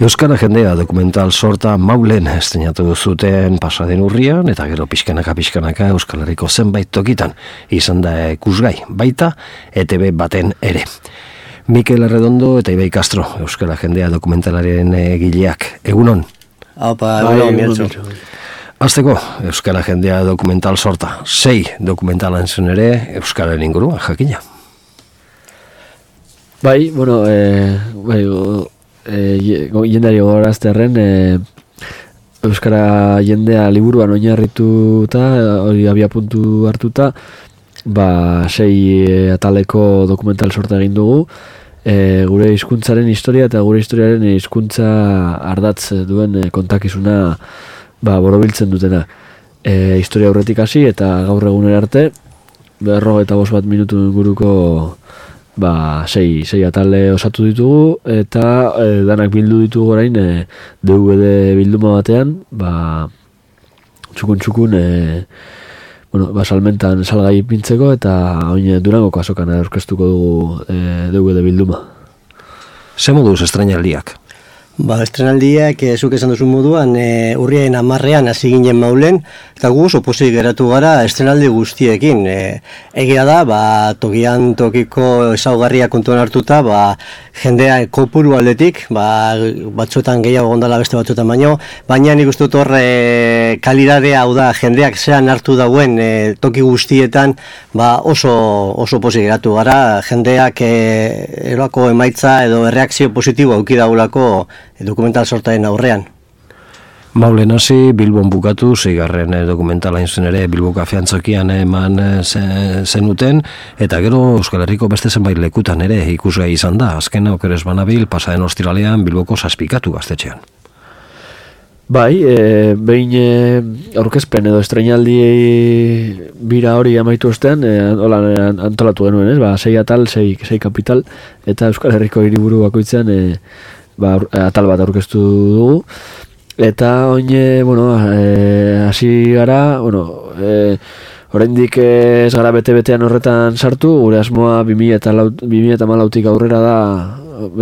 Euskara jendea dokumental sorta Maulen estrenatu zuten pasaden urrian, eta gero pixkanaka Euskal Herriko zenbait tokitan izan da ikusgai, baita ETV baten ere. Mikel Arredondo eta Ibai Castro, Euskara jendea dokumentalaren egileak. Egunon? Aupa, egunon. Azteko, Euskara jendea dokumental sorta. 6 dokumentalan zuen ere Euskararen inguruan, jakina. Bai, bueno, jendari gogorazterren Euskara jendea liburuan oinarrituta, hori abia puntu hartuta, 6 ataleko dokumental sorta egin dugu, gure hizkuntzaren historia eta gure historiaren hizkuntza ardatz duen kontakizuna borobiltzen dutena. Historia aurretik hasi eta gaur egunera arte, 45 minutu inguruko 6 atale osatu ditugu, eta danak bildu ditugu orain DVD bilduma batean, txukun salmentan salgai pintzeko, eta oin Durangoko azokan aurkeztuko dugu DVD bilduma. Ze moduz estrenaldiak? Estrenaldiak, zuk esan duzun moduan, urriaren 10ean hasi ginen Maulen, eta gu oso pozik geratu gara estrenaldi guztiekin. Egia da, tokian tokiko ezaugarria kontuan hartuta, jendea kopuru aldetik, batzuetan gehiago gondala beste batzuetan baina nik uste dut hor kalidadea, hau da, jendeak zean hartu dauen toki guztietan, oso pozik geratu gara, jendeak erako emaitza edo erreakzio positibo auki daulako dokumental sortaren aurrean. Maulen hasi, Bilbon bukatu, 6. dokumentala inzun ere Bilbo kafeantzokian eman zenuten, eta gero Euskal Herriko beste zenbait lekutan ere ikusgai izan da. Azkena okeres banabil, pasaden ostiralean Bilboko Zazpikatu gaztetxean. Bai, behin aurkezpen edo estrenaldi bira hori amaitu ostean, antolatu genuen, 6 atal, 6 kapital, eta Euskal Herriko hiriburu bakoitzean atal bat aurkeztu dugu, eta oine, hasi gara, oraindik ez gara bete-betean horretan sartu, gure asmoa 2014tik aurrera da,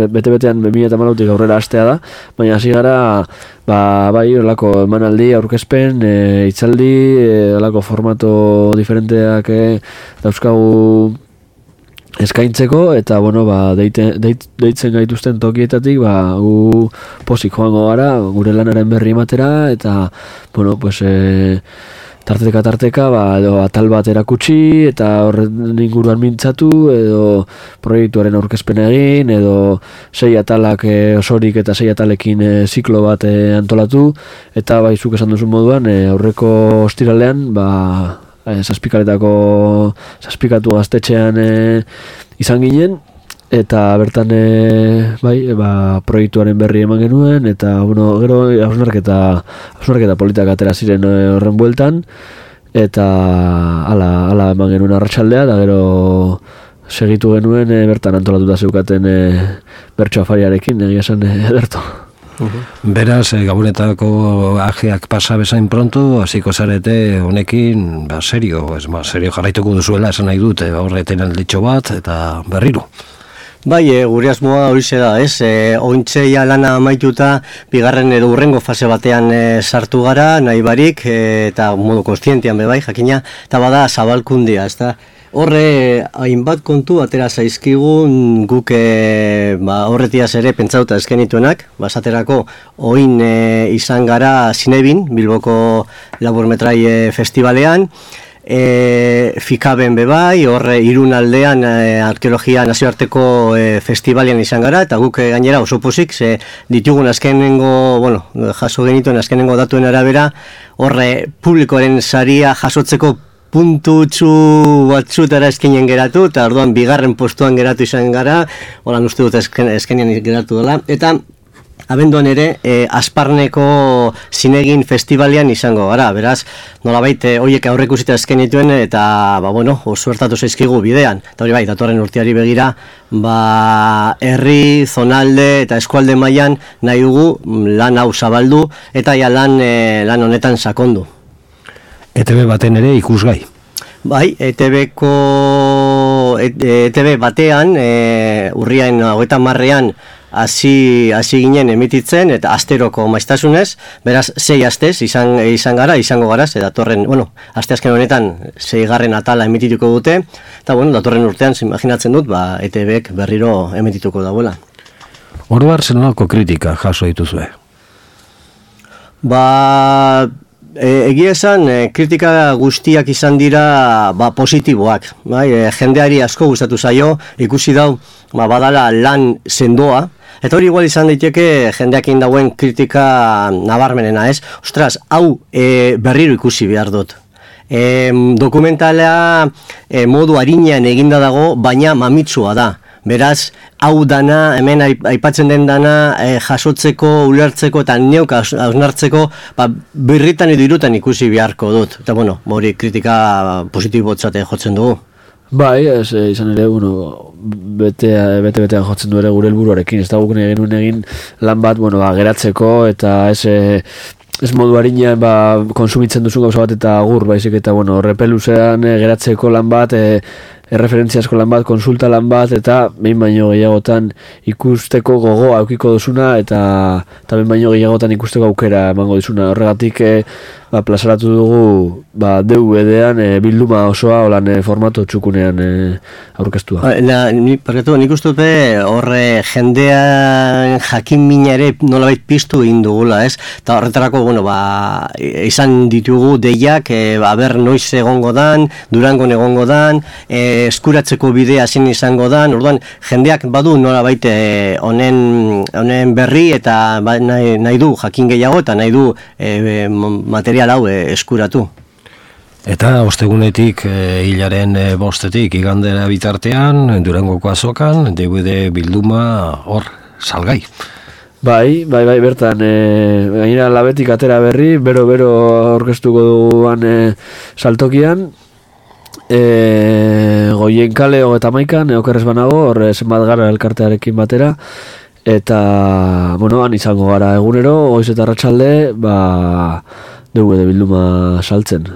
bete-betean 2014tik aurrera hastea da, baina hasi gara, horrelako emanaldi, aurkezpen, hitzaldi, horrelako formato diferenteak dauzkagu eskaintzeko, eta deitzen gaituzten tokietatik gu pozik joango gara gure lanaren berri ematera, eta tarteka edo atal bat erakutsi eta horren inguruan mintzatu, edo proiektuaren aurkezpen egin, edo 6 atalak osorik eta 6 atalekin ziklo bat antolatu, eta zuk esan duzun moduan aurreko ostiralean Zazpikatu gaztetxean izan ginen, eta bertan proiektuaren berri eman genuen, eta gero hausnarketa politak atera ziren horren bueltan, eta ala eman genuen arratsaldea, eta gero segitu genuen bertan antolatuta zeukaten bertso afariarekin, egia esan ederto. Beraz, gabonetako ajeak pasa bezain pronto, hasiko zarete honekin, serio jarraituko duzuela esan nahi dut, horreten alditxo bat, eta berriro. Bai, gure asmoa horixe da, ointzeia lana amaituta, bigarren edo hurrengo fase batean sartu gara, nahi barik, eta modu konstientian bai, jakina, eta zabalkundia, ez da. Horre, hainbat kontu atera zaizkigun guk horretiaz ere pentsauta eskenituenak, basaterako oin izan gara Zinebin, Bilboko laburmetrai festivalean, Fikaben bebai, horre Irun aldean arkeologia nazioarteko festivalean izan gara, eta guk gainera oso pozik, ditugun jaso genituen azkenengo datuen arabera, horre publikoaren saria jasotzeko puntutxu batzutara eskenen geratu, eta orduan bigarren postuan geratu izan gara, holan uste dut eskenen geratu dela, eta abenduan ere Asparneko Zinegin festivalean izango gara, beraz, nolabait horiek aurreikusita eskenituen, eta oso hartatu zaizkigu bidean, eta hori datorren urteari begira, herri, zonalde eta eskualde mailan nahi dugu lan hau zabaldu, eta lan honetan sakondu. ETV baten ere ikusgai. Bai, ETV batean, urriaren 30ean hasi ginen emititzen, eta asteroko maiztasunez, beraz, 6 astez izango gara, ze datorren, asteazken honetan 6. atala emitituko dute, eta datorren urtean, imaginatzen dut, ETB-ek berriro emitituko dauela. Orduan, zenolako kritika jaso dituzue? Egia esan, kritika guztiak izan dira positiboak. Jendeari asko gustatu zaio, ikusi dau badala lan sendoa, eta hori igual izan daiteke jendeak egin dauen kritika nabarmenena, ez? Ostras, hau berriro ikusi behar dut. Dokumentala modu arinean eginda dago, baina mamitsua da. Beraz, hau dana, hemen aipatzen den dana, jasotzeko, ulertzeko eta neuk hausnartzeko, birritan edo irutan ikusi beharko dut. Eta hori kritika positibotzate jotzen dugu. Bai, izan ere, bete-betean jotzen du ere gure helburuarekin. Ez da guk egin lan bat, geratzeko eta ez modu harinean konsumitzen duzun gauza bat eta agur, baizik eta repeluzean geratzeko lan bat, erreferentziazko lan bat, konsulta lan bat, eta behin baino gehiagotan ikusteko gogoa aukiko duzuna, eta behin baino gehiagotan ikusteko aukera emango dizuna. Horregatik plazaratu dugu DVD-an bilduma osoa olan formato txukunean aurkeztua. Nik uste dute horre jendean jakin mina ere nolabait piztu egin dugula, ez? Eta horretarako, izan ditugu deiak, ber noiz egongo dan, Durangon egongo dan, eskuratzeko bidea zein izango dan, orduan jendeak badu nolabait honen berri eta nahi du jakin gehiago eta nahi du material hau eskuratu. Eta ostegunetik hilaren 5-etik igandera bitartean, Durangoko azokan, DVD bilduma hor salgai. Bai, bertan, gainera Labetik atera berri, bero orkestuko duguan saltokian, Goien kale 31, okerrez banago, hor zenbat gara elkartearekin batera, eta, han izango gara egunero, goiz eta arratsalde, DVD bilduma saltzen.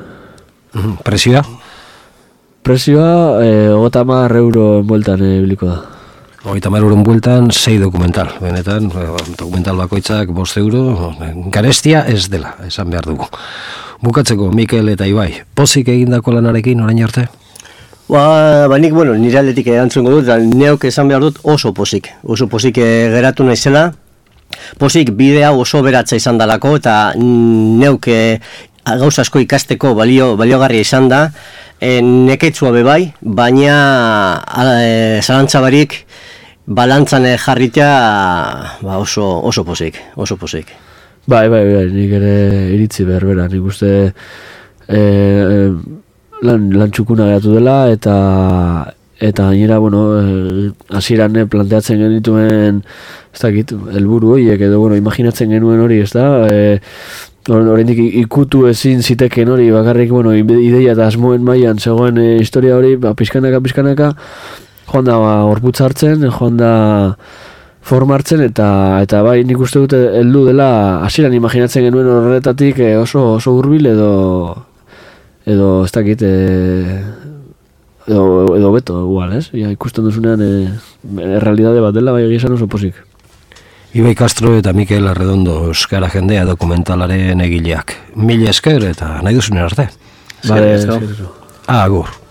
Presioa? Presioa, 30 euro enbueltan biliko da. 30 euro enbueltan, 6 dokumental. Benetan, dokumental bakoitzak 5 euro, garestia ez dela, esan behar dugu. Bukatzeko, Mikel eta Ibai, pozik egindako lanarekin orain arte? Nik, nire aldetik erantzungo dut, neok esan behar dut oso pozik geratu naizela, pozik bidea oso beratza izan dalako, eta neuk gauza asko ikasteko baliogarria izan da, neketsua bebai, baina zalantzabarik balantzan jarritea oso pozik. Bai, nik ere iritzi berbera, nik uste lan txukuna geratu dela, eta gainera, hasieran planteatzen genituen, ez dakit, helburu horiek, edo, imaginatzen genuen hori, ez da, oraindik ikutu ezin ziteken hori, bakarrik, ideia eta asmoen mailan zegoen historia hori, pixkanaka, joan da gorputza hartzen, joan da formartzen, eta bai nik uste dute heldu dela, hasieran imaginatzen genuen horretatik oso hurbil edo ez dakit, edo beto, igual, ez? Ikusten duzunean errealidade bat dela, bai egia oso pozik. Ibai Castro eta Mikel Arredondo euskara jendea dokumentalaren egileak. Mila esker eta nahi duzunen arte. Vale, Agur.